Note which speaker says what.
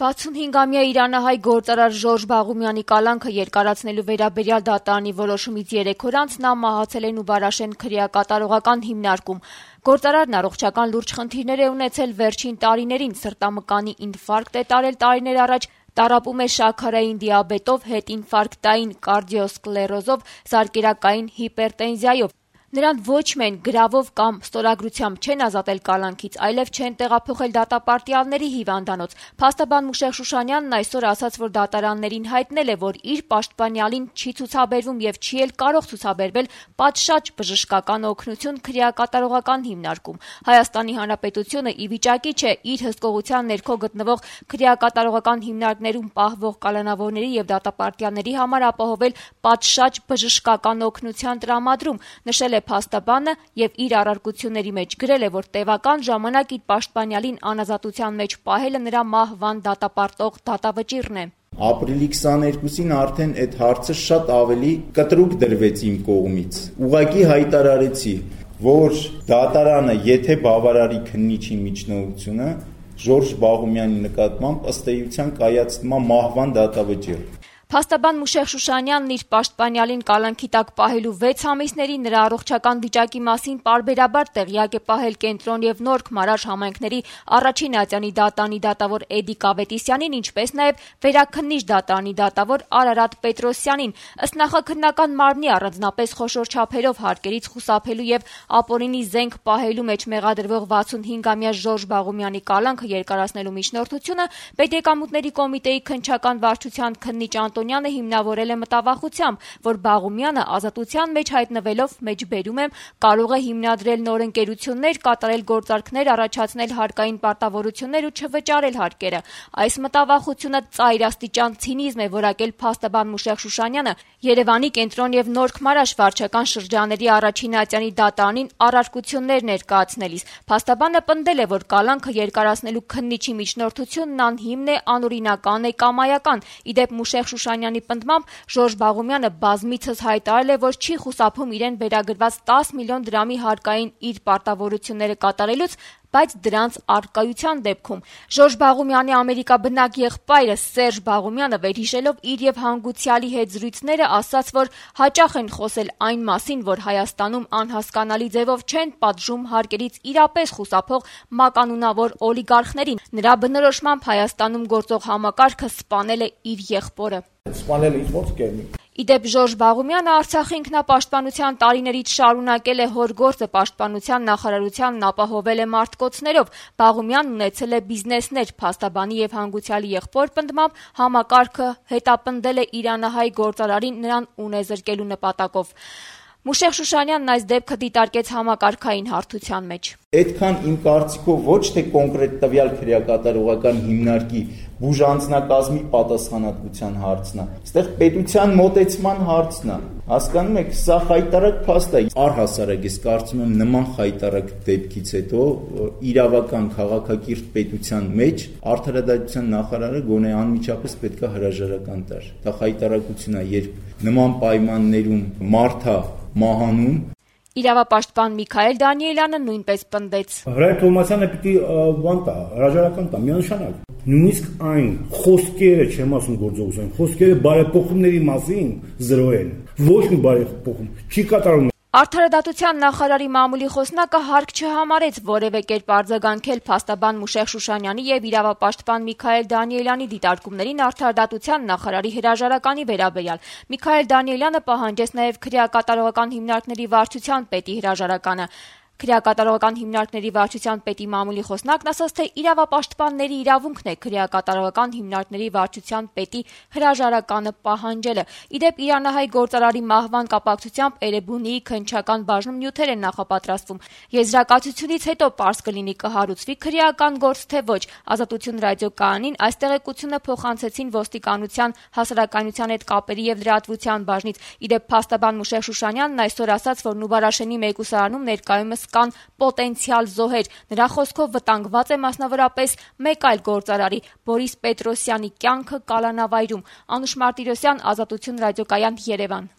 Speaker 1: 65-ամյա իրանահայ գործարար Ժորժ Բաղումյանի կալանքը երկարացնելու վերաբերյալ դատարանի որոշումից 3 օր անց նա մահացել է Նուբարաշեն քրեակատարողական հիմնարկում։ Գործարարն առողջական լուրջ խնդիրներ է ունեցել վերջին տարիներին, սրտամկանի ինֆարկտ է տարել տարիներ առաջ, տառապում է շաքարային դիաբետով, հետինֆարկտային կարդիոսկլերոզով, զարկերակային հիպերտենզիայով։ Նրան ոչ միայն գրավով կամ ստորագրությամբ չեն ազատել կալանքից, այլև չեն տեղափոխել դատապարտյալների հիվանդանոց։ Փաստաբան Մուշեղ Շուշանյանն այսօր ասաց, որ դատարաններին հայտնել է, որ իր պաշտպանյալին չի ցուցաբերվում եւ չի էլ կարող ցուցաբերվել պատշաճ բժշկական օգնություն քրեակատարողական հիմնարկում։ Հայաստանի Հանրապետությունը ի վիճակի չէ իր հսկողության ներքո գտնվող քրեակատարողական հիմնարկներում պահվող կալանավորների եւ դատապարտյալների համար ապահովել պատշաճ բժշկական օգնության տրամադրում, նշել է փաստաբանը եւ իր առարկությունների մեջ գրել է, որ տևական ժամանակ իր պաշտպանյալին անազատության մեջ պահելը նրա մահվան դատապարտող դատավճիռն է։
Speaker 2: Ապրիլի 22-ին արդեն այդ հարցը շատ ավելի կտրուկ դրվեց իմ կողմից։ Ուղղակի հայտարարեցի, որ դատարանը, եթե բավարարի քննիչի միջնորդությունը, Ժորժ Բաղումյանի նկատմամբ ըստ էության կայացնում է մահվան դատավճիռ։
Speaker 1: Փաստաբան Մուշեղ Շուշանյանն իր պաշտպանյալին կալանքի տակ պահելու 6 ամիսների նրա առողջական վիճակի մասին պարբերաբար տեղյակ է պահել Կենտրոն եւ Նորք Մարաշ համայնքների առաջին ատյանի դատարանի դատավոր Էդիկ Ավետիսյանին, ինչպես նաեւ վերաքննիչ դատարանի դատավոր Արարատ Պետրոսյանին։ Ըստ նախաքննական մարմնի առանձնապես խոշոր չափերով հարկերից խուսափելու եւ ապօրինի զենք պահելու մեջ մեղադրվող 65-ամյա Ժորժ Բաղումյանի կալանքը երկարացնելու միջնորդությունը Պետեկամուտների կոմիտեի քննչական վարչության քննիչ Անտոնյանը հիմնավորել է մտավախությամբ, որ Բաղումյանը ազատության մեջ հայտնվելով, մեջբերում եմ, կարող է հիմնադրել նոր ընկերություններ, կատարել գործարքներ, առաջացնել հարկային պարտավորություններ ու չվճարել հարկերը։ Այս մտավախությունը ծայրաստիճան ցինիզմ է որակել փաստաբան Մուշեղ Շուշանյանը Երևանի Կենտրոն եւ Նորք Մարաշ վարչական շրջանների առաջին ատյանի դատարանին առարկություններ ներկայացնելիս։ Փաստաբանը պնդել է, որ կալանքը երկարացնելու քննիչի միջնորդությունն անհիմն է, անօրինական է, կամայական։ Իդեպ Մուշեղ Շուշանյանի պնդմամբ Ժորժ Բաղումյանը բազմիցս հայտարարել է, որ չի խուսափում իրեն վերագրված 10 միլիոն դրամի հարկային իր պարտավորությունները կատարելուց, բայց դրանց առկայության դեպքում Ժորժ Բաղումյանի ամերիկաբնակ եղբայրը Սերժ Բաղումյանը վերհիշելով իր եւ հանգուցյալի հետ զրույցները ասաց, որ հաճախ են խոսել այն մասին, որ Հայաստանում անհասկանալի ձևով չեն պատժում հարկերից իրապես խուսափող մականունավոր օլիգարխներին։ Նրա բնորոշմամբ Հայաստանում գործող համակարգը սպանել է իր եղբորը։
Speaker 3: Սպանել ինչ ոնց կերնի։
Speaker 1: Իդեպ Ժորժ Բաղումյանը Արցախի ինքնապաշտպանության տարիներից շարունակել է հոր գործը, պաշտպանության նախարարությանն ապահովել է մարտկոցներով։ Բաղումյանն ունեցել է բիզնեսներ, փաստաբանի եւ հանգուցյալի եղբոր պնդմամբ համակարգը հետապնդել է իրանահայ գործարարին նրան ունեզրկելու նպատակով։ Մուշեղ Շուշանյանն այս դեպքը դիտարկեց համակարգային հարթության մեջ։
Speaker 2: Այդքան իմ կարծիքով ոչ թե կոնկրետ տվյալ քրեակատարողական հիմնարկի բուժանձնակազմի պատասխանատվության հարցն է, այստեղ պետության մոտեցման հարցն է։ Հասկանում եք, սա խայտարակ փաստ է։ Առհասարակ ես կարծում եմ նման խայտարակ դեպքից հետո իրավական քաղաքակիրթ պետության մեջ արդարադատության նախարարը գոնե անմիջապես պետք է հրաժարական տար։ Դա խայտարակություն է, երբ նման պայմաններում մարդը մահանում։
Speaker 1: Իրավապաշտպան Միքայել Դանիելյանը նույնպես պնդեց։
Speaker 3: Հրայր Թովմասյանը պիտի բան տա, հրաժարական տա, միանշանակ։ Նույնիսկ այն խոսքերը, չեմ ասում գործողություն, խոսքերը բարեփոխումների մասին 0 են։ Ոչ մի բարեփոխում չի կատարում։
Speaker 1: Արդարադատության նախարարի մամուլի խոսնակը հարկ չհամարեց որևէ կերպ արձագանքել փաստաբան Մուշեղ Շուշանյանի եւ իրավապաշտպան Միքայել Դանիելյանի դիտարկումներին արդարադատության նախարարի հրաժարականի վերաբերյալ։ Միքայել Դանիելյանը պահանջեց նաեւ քրեակատարողական հիմնարկների վարչության պետի հրաժարականը։ Քրեակատարողական հիմնարկների վարչության պետի մամուլի խոսնակն ասաց, թե իրավապաշտպանների իրավունքն է քրեակատարողական հիմնարկների վարչության պետի հրաժարականը պահանջելը։ Իդեպ իրանահայ գործարարի մահվան կապակցությամբ Էրեբունիի քննչական բաժնում նյութեր են նախապատրաստվում։ Եզրակացությունից հետո պարզ կլինի կհարուցվի քրեական գործ թե ոչ։ Ազատություն ռադիոկայանին այս տեղեկությունը փոխանցեցին ոստիկանության հասարակայնության հետ կապերի եւ լրատվության բաժնից։ Իդեպ փաստաբան Մուշեղ Շուշանյանն այսօր ասաց, որ Նուբարաշենի մեկուսարանում ներկայումս կան պոտենցիալ զոհեր։ Նրա խոսքով վտանգված է մասնավորապես մեկ այլ գործարարի՝ Բորիս Պետրոսյանի կյանքը կալանավայրում։ Անուշ Մարտիրոսյան, Ազատություն ռադիոկայան, Երևան։